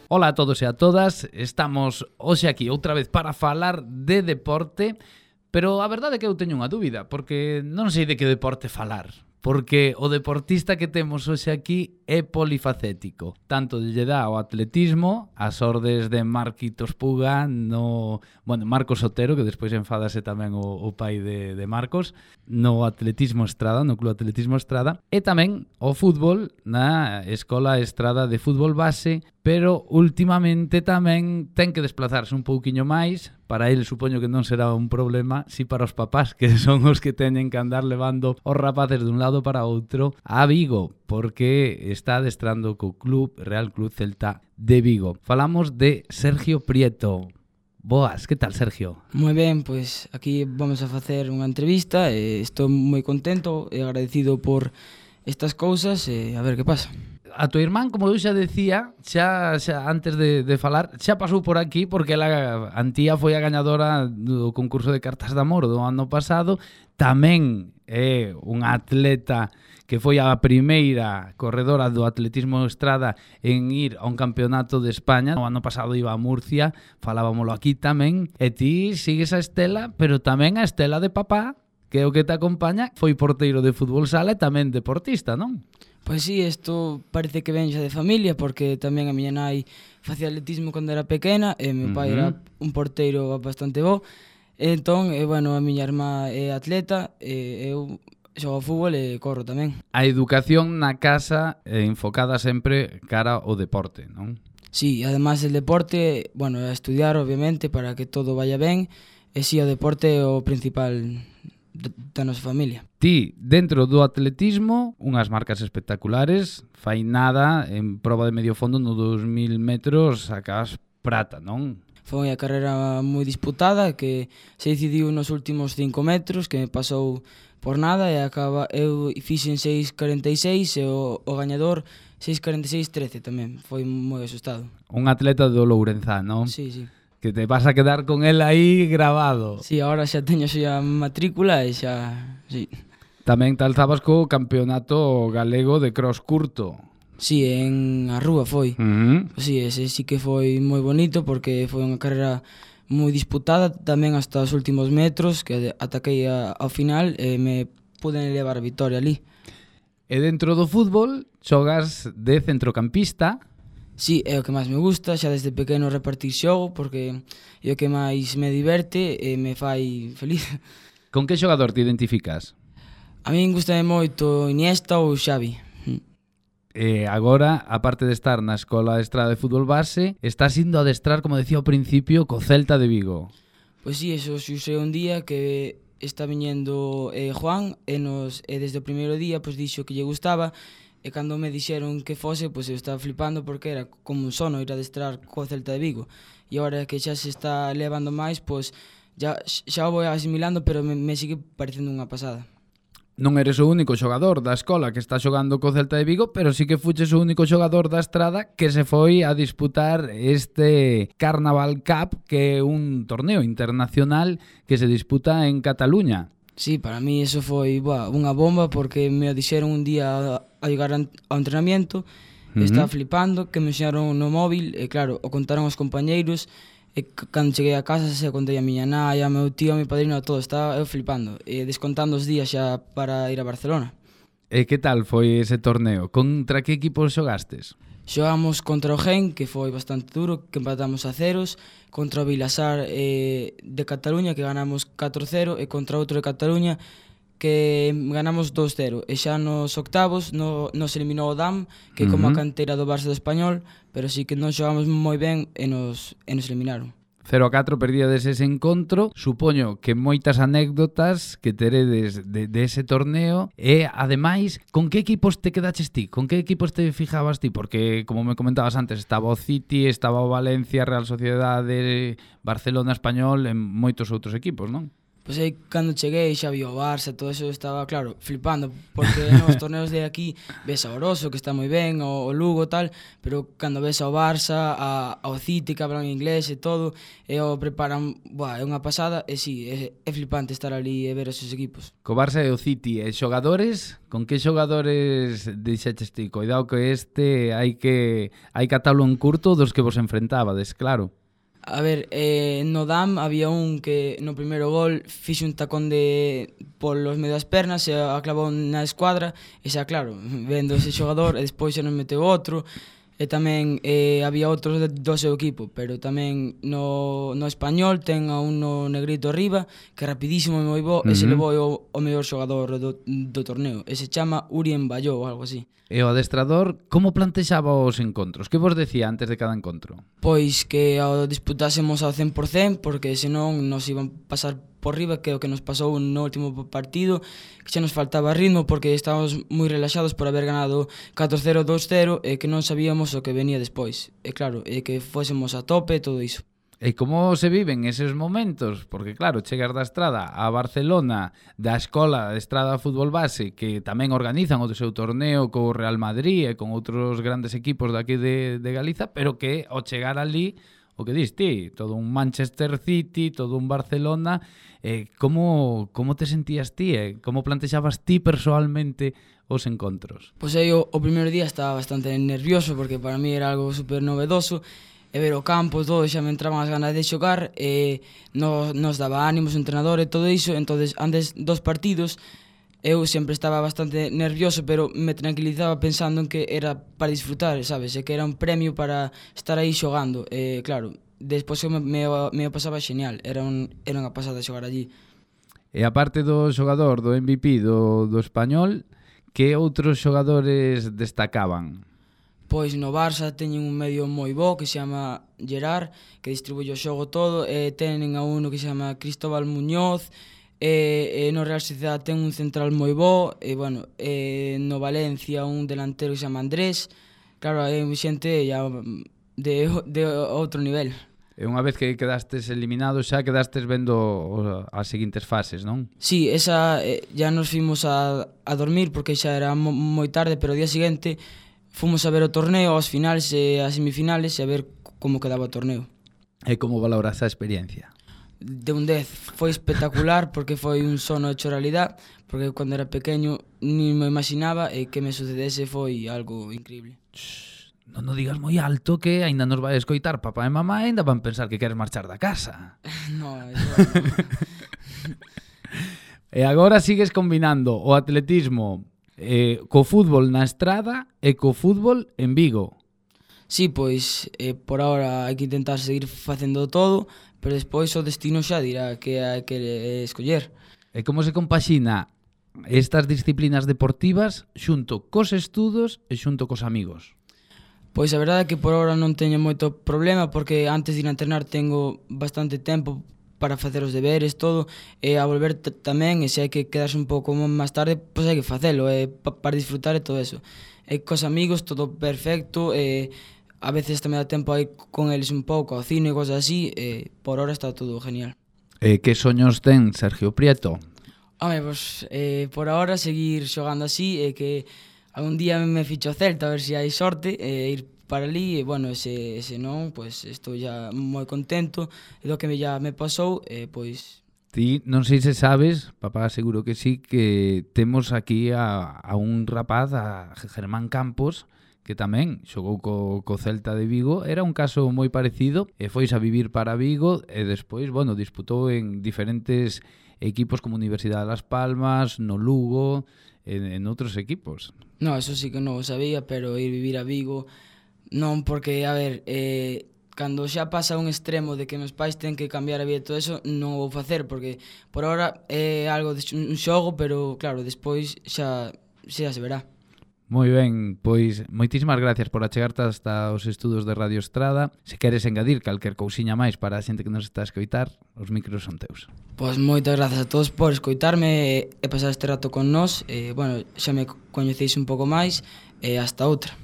Ola a todos e a todas, estamos hoxe aquí outra vez para falar de deporte, pero a verdade é que eu teño unha dúbida, porque non sei de que deporte falar. Porque o deportista que temos hoxe aquí é polifacético. Tanto lle dá o atletismo, as ordes de Marquitos Puga, Marcos Otero, que despois enfádase tamén o pai de Marcos, no atletismo Estrada, no Club Atletismo Estrada, e tamén o fútbol na Escola Estrada de Fútbol Base, pero últimamente tamén ten que desplazarse un pouquiño máis. Para ele supoño que non será un problema, si para os papás, que son os que teñen que andar levando os rapaces dun lado para outro a Vigo, porque está adestrando co Real Club Celta de Vigo. Falamos de Sergio Prieto. Boas, que tal, Sergio? Moi ben, pois aquí vamos a facer unha entrevista e estou moi contento e agradecido por estas cousas e a ver que pasa. A tua irmán, como eu xa decía, xa antes de falar, xa pasou por aquí porque ela, Antía, foi a gañadora do concurso de cartas de amor do ano pasado. Tamén é unha atleta que foi a primeira corredora do atletismo Estrada en ir a un campeonato de España. O ano pasado iba a Murcia, falábamolo aquí tamén. E ti sigues a estela, pero tamén a estela de papá, que é o que te acompaña, foi porteiro de fútbol sala e tamén deportista, non? Pois sí, isto parece que ven xa de familia, porque tamén a miña nai facía atletismo cando era pequena e meu pai era un porteiro bastante bo. Entón, a miña irmá é atleta e eu xogo fútbol e corro tamén. A educación na casa enfocada sempre cara ao deporte, non? Sí, además el deporte, a estudiar obviamente para que todo vaya ben, e sí, o deporte é o principal da nosa familia. Ti, dentro do atletismo, unhas marcas espectaculares, fai nada, en proba de medio fondo no 2000 metros sacas prata, non? Foi a carreira moi disputada que se decidiu nos últimos 5 metros, que me pasou por nada e eu fixen 6.46 e o gañador 6.46.13 tamén. Foi moi asustado. Un atleta do Lourenzán, non? Sí, sí. Que te vas a quedar con él aí grabado. Sí, agora xa teño xa matrícula e xa... Sí. Tamén te alzabas co campeonato galego de cross curto. Sí, en a rúa foi. Sí, ese sí que foi moi bonito porque foi unha carreira moi disputada tamén hasta os últimos metros, que ataquei ao final e me pude levar a vitoria ali. E dentro do fútbol xogas de centrocampista. Sí, é o que máis me gusta, xa desde pequeno repartir xogo porque é o que máis me diverte e me fai feliz. Con que xogador te identificas? A min gustame moito Iniesta ou Xavi. E agora, aparte de estar na Escola Estrada de Fútbol Base, estás indo a adestrar, como decía ao principio, co Celta de Vigo. Pois sí, eso xusei un día que está viñendo Juan e desde o primeiro día dixo que lle gustaba. E cando me dixeron que fose, eu estaba flipando porque era como un sono ir a adestrar co Celta de Vigo. E agora que xa se está levando máis, xa o vou asimilando, pero me sigue parecendo unha pasada. Non eres o único xogador da escola que está xogando co Celta de Vigo, pero sí que fuches o único xogador da Estrada que se foi a disputar este Carnaval Cup, que é un torneo internacional que se disputa en Cataluña. Sí, para mí eso foi unha bomba porque me o dixeron un día a llegar ao entrenamiento, estaba flipando, que me enseñaron no móvil, e claro, o contaron os compañeiros, e cando cheguei a casa se contei a miña nai, a meu tío, a mi padrino, a todo, estaba eu flipando, e descontando os días xa para ir a Barcelona. E que tal foi ese torneo? Contra que equipos xogastes? Xogamos contra o Gen, que foi bastante duro, que empatamos a ceros, contra o Vilasar de Cataluña, que ganamos 4-0, e contra outro de Cataluña, que ganamos 2-0. E xa nos octavos nos eliminou o DAM, que é como a canteira do Barça do Español, pero sí que non xogamos moi ben e nos eliminaron. 0-4 perdíades ese encontro. Supoño que moitas anécdotas que teredes de ese torneo. E, ademais, con que equipos te quedaches ti? Con que equipos te fijabas ti? Porque, como me comentabas antes, estaba o City, estaba o Valencia, Real Sociedade, Barcelona, Español e moitos outros equipos, non? Pois aí, cando cheguei, xa vi o Barça, todo eso, estaba, claro, flipando, porque nos torneos de aquí ves a Oroso, que está moi ben, o Lugo, tal, pero cando ves ao Barça, ao City, que hablan inglés e todo, e o preparan, é unha pasada, e sí, é flipante estar ali e ver esos equipos. Co Barça e o City, e xogadores, con que xogadores dixeches ti? Coidado que hai que atalo en curto dos que vos enfrentabades, claro. A ver, no DAM había un que no primeiro gol fixe un tacón polos medio das pernas e a clavou na escuadra e xa claro, vendo ese xogador e despois xa nos meteu outro e tamén había outros do seu equipo, pero tamén no Español ten a un no negrito arriba que é rapidísimo e moi bo e se levou o mellor xogador do torneo e se chama Urien Bayó ou algo así. E o adestrador, como plantexaba os encontros? Que vos decía antes de cada encontro? Pois que ao disputásemos ao 100%, porque senón nos iban pasar por riba, que é o que nos pasou no último partido, que xa nos faltaba ritmo, porque estábamos moi relaxados por haber ganado 4-0, 2-0, e que non sabíamos o que venía despois. E claro, que fósemos a tope e todo iso. E como se viven eses momentos? Porque claro, chegas da Estrada a Barcelona, da Escola de Estrada Fútbol Base, que tamén organizan o seu torneo co Real Madrid e con outros grandes equipos daqui de Galiza, pero que ao chegar ali, o que dis ti, todo un Manchester City, todo un Barcelona, como te sentías ti? Como plantexabas ti persoalmente os encontros? Pois aí o primeiro día estaba bastante nervioso, porque para mí era algo super novedoso, e ver o campo, todo, xa me entraban as ganas de xogar e nos daba ánimos o entrenador e todo iso, entonces antes dos partidos eu sempre estaba bastante nervioso, pero me tranquilizaba pensando en que era para disfrutar, sabes, e que era un premio para estar aí xogando, e claro, despois me pasaba genial, era unha pasada xogar allí. E aparte do xogador, do MVP do Español, que outros xogadores destacaban? Pois no Barça teñen un medio moi bo que se chama Gerard, que distribuye o xogo todo, e tenen a uno que se chama Cristóbal Muñoz, e no Real Sociedad ten un central moi bo, e bueno, no Valencia un delantero que se chama Andrés, claro, hai xente ya de outro nivel. E unha vez que quedastes eliminados xa quedastes vendo as seguintes fases, non? Sí, esa ya nos fimos a dormir porque xa era moi tarde, pero o día seguinte fomos a ver o torneo, as finales e as semifinales e a ver como quedaba o torneo. E como valoras a experiencia? De un 10, foi espectacular porque foi un sono hecho realidad, porque cando era pequeño ni me imaginaba e que me sucedese foi algo increíble. Non o digas moi alto que aínda nos vai escoitar papá e mamá e aínda van pensar que queres marchar da casa. No, eso no. E agora sigues combinando o atletismo co fútbol na Estrada e co fútbol en Vigo. Sí, pois por ahora hai que intentar seguir facendo todo, pero despois o destino xa dirá que hai que escoller. E como se compaxina estas disciplinas deportivas xunto cos estudos e xunto cos amigos? Pois a verdade é que por ahora non teño moito problema, porque antes de ir a entrenar tengo bastante tempo para facer os deberes, todo, e a volver tamén, e se hai que quedarse un pouco máis tarde, pois hai que facelo, para disfrutar e todo eso. E cos amigos todo perfecto, e a veces tamén dá tempo aí con eles un pouco ao cine e cosas así, e por ahora está todo genial. E que soños ten Sergio Prieto? Home, pois por ahora seguir xogando así, e que algún día me ficho o Celta, a ver se hai sorte, e ir para ali, e bueno, se non, pois estou ya moi contento do que ya me pasou, pois... Ti non sei se sabes, papá seguro que sí, que temos aquí a un rapaz, a Germán Campos, que tamén xogou co Celta de Vigo, era un caso moi parecido, e fois a vivir para Vigo, e despois, bueno, disputou en diferentes equipos como Universidade de Las Palmas, no Lugo, en outros equipos. No, eso sí que non o sabía, pero ir vivir a Vigo... Non, porque, a ver, cando xa pasa un extremo de que meus pais ten que cambiar a vida e todo eso, non o vou facer, porque por ahora é algo de un xogo, pero claro, despois xa se verá. Moi ben, pois moitísimas gracias por achegarte hasta os estudos de Radio Estrada. Se queres engadir calquer cousiña máis para a xente que nos está a escoitar, os micros son teus. Pois moitas grazas a todos por escoitarme e pasar este rato con nós. Bueno, xa me coñeceis un pouco máis e hasta outra.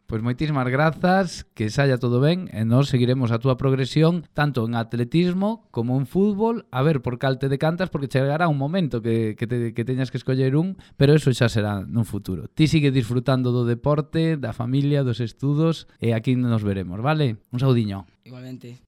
Pois moitísimas grazas, que saia todo ben e nós seguiremos a túa progresión tanto en atletismo como en fútbol, a ver por cal te decantas, porque chegará un momento que teñas que escoller un, pero eso xa será nun futuro. Ti sigue disfrutando do deporte, da familia, dos estudos e aquí nos veremos, vale? Un saudiño. Igualmente.